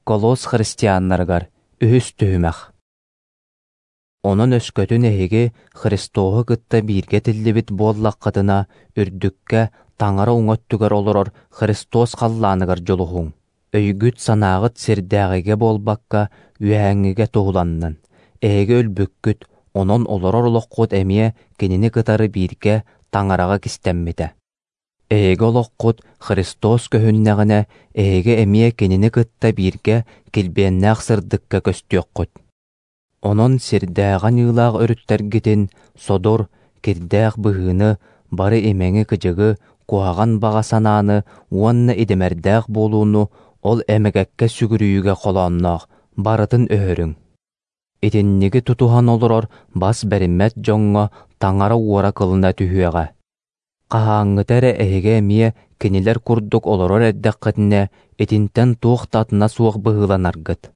Колос христианнарыгар үһүс түһүмэх. Онон өскөтүн эһиги Христоһу кытта бииргэ тиллибит буоллаххытына, үрдүккэ, Таҥара уҥа өттүгэр олорор Христос халлааныгар дьулуһуҥ. Өйгүт-санааҕыт сирдээҕигэ буолбакка, үөһээҥҥигэ туһуланнын. Эһиги өлбүккүт, онон олорор олоххут эмиэ Кинини кытары бииргэ Таҥараҕа кистэммитэ. Эһиги олоххут Христос көһүннэҕинэ, эһиги эмиэ Кинини кытта бииргэ килбиэннээх сырдыкка көстүөххүт. Онон сирдээҕи аньыылаах өрүттэргитин, содур, кирдээх быһыыны, бары имэҥи-кыдьыгы, куһаҕан баҕа санааны уонна идэмэрдээх буолууну ол эмэгэккэ сүгүрүйүүгэ холоонноох, барытын өһөрүҥ. Итинниги тутуһан олорор бас бэриммэт дьоҥҥо Таҥара уора кылына түһүөҕэ. Хаһааҥҥыта эрэ эһиги эмиэ кинилэр курдук олорор эрдэххитинэ, итинтэн туох да атына суох быһыыланаргыт.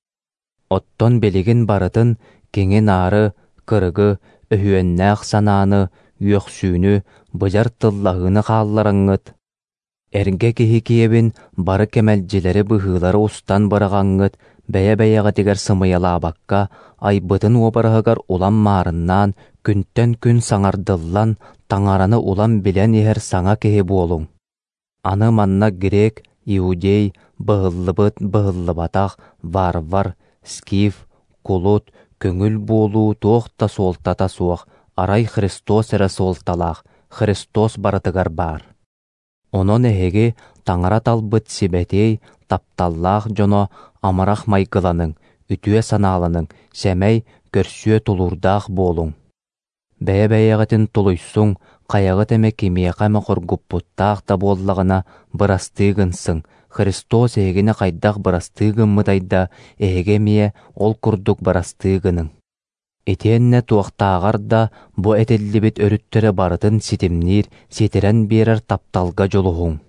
Оттон билигин барытын киҥи-наары, кырыгы, өһүөннээх санааны, үөхсүүнү, быдьар тыллаһыыны хааллараҥҥыт, эргэ киһи киэбин бары кэмэлдьилэри быһыылары устан быраҕаҥҥыт, бэйэ-бэйэҕитигэр сымыйалаабакка, айбытын уобараһыгар улам маарыннаан, күнтэн күн саҥардыллан, Таҥараны улам билэн иһэр саҥа киһи буолуҥ. Аны манна грек, иудей, быһыллыбыт, быһыллыбатах, варвар, скиф, кулут, көҥүл буолуу туох да суолтата суох, арай Христос эрэ суолталаах, Христос барытыгар баар. Онон эһиги Таҥара талбыт сибэтиэй, тапталлаах дьоно амарах майгыланыҥ, үтүө санааланыҥ, сэмэй, көрсүө тулуурдаах буолуҥ. Бэйэ-бэйэҕитин тулуйсуҥ, хайаҕыт эмэ кимиэхэ эмэ хоргуппуттаах да буоллаҕына, бырастыы гынсыҥ, Христос эһигини хайдах бырастыы гыммытай да, эһиги эмиэ ол курдук бырастыы гыныҥ. Итиэннэ туохтааҕар да бу этиллибит өрүттэри барытын ситимниир, ситэрэн биэрэр тапталга дьулуһуҥ.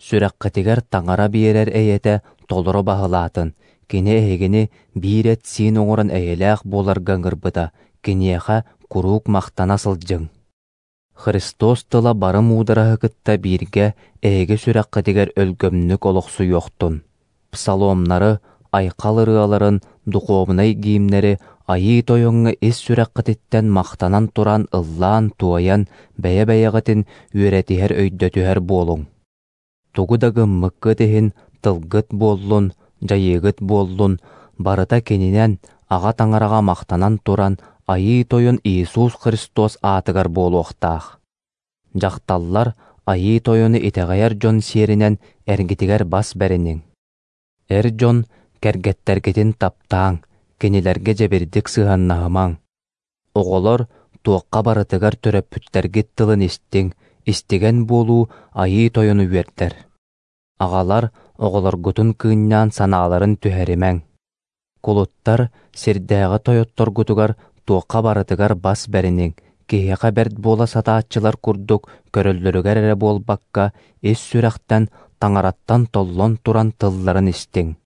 Сүрэххитигэр Таҥара биэрэр эйэтэ толору баһылаатын, кини эһигини биир эт-сиин оҥорон эйэлээх буоларга ыҥырбыта, киниэхэ куруук махтана сылдьыҥ. Христос тыла бары муудараһы кытта бииргэ эһиги сүрэххитигэр өлгөмнүк олохсуйуохтун. Псаломнары, айхал ырыаларын, духуобунай гимнэри Айыы Тойоҥҥо ис сүрэххититтэн махтанан туран ыллаан-туойан, бэйэ-бэйэҕитин үөрэтиһэр-өйдөтүһэр буолуҥ. Тугу да гыммыккыт иһин тылгыт буоллун, дьайыыгыт буоллун, барыта Кининэн, Аҕа Таҥараҕа махтанан туран, Айыы Тойон Иисус Христос аатыгар буолуохтаах. Дьахталлар Айыы Тойону итэҕэйэр дьон сиэринэн эргитигэр бас бэриниҥ. Эр дьон кэргэттэргитин таптааҥ, кинилэргэ дьэбирдик сыһыаннаһымаҥ. Оҕолор туохха барытыгар төрөппүттэргит тылын истиҥ, истигэн буолуу Айыы Тойону үөрдэр. Аҕалар оҕолоргутун кыынньаан санааларын түһэримэҥ. Кулуттар сирдээҕи тойотторгутугар туохха барытыгар бас бэриниҥ, киһиэхэ бэрт буола сатааччылар курдук көрөллөрүгэр эрэ буолбакка, ис сүрэхтэн, Таҥараттан толлон туран тылларын истиҥ.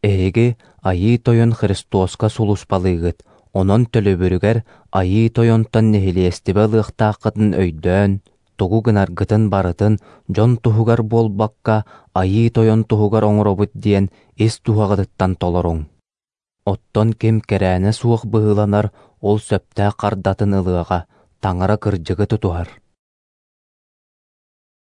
Эһиги Айыы Тойон Христоска сулууспалыыгыт, онон төлөбүрүгэр Айыы Тойонтон нэһилиэстибэ ылыахтааххытын өйдөөн, тугу гынаргытын барытын дьон туһугар буолбакка, Айыы Тойон туһугар оҥоробут диэн ис дууһаҕытыттан толоруҥ. Оттон ким кэрээнэ суох быһыыланар, ол сөптөөх хардатын ылыаҕа, Таҥара кырдьыгы тутуһар.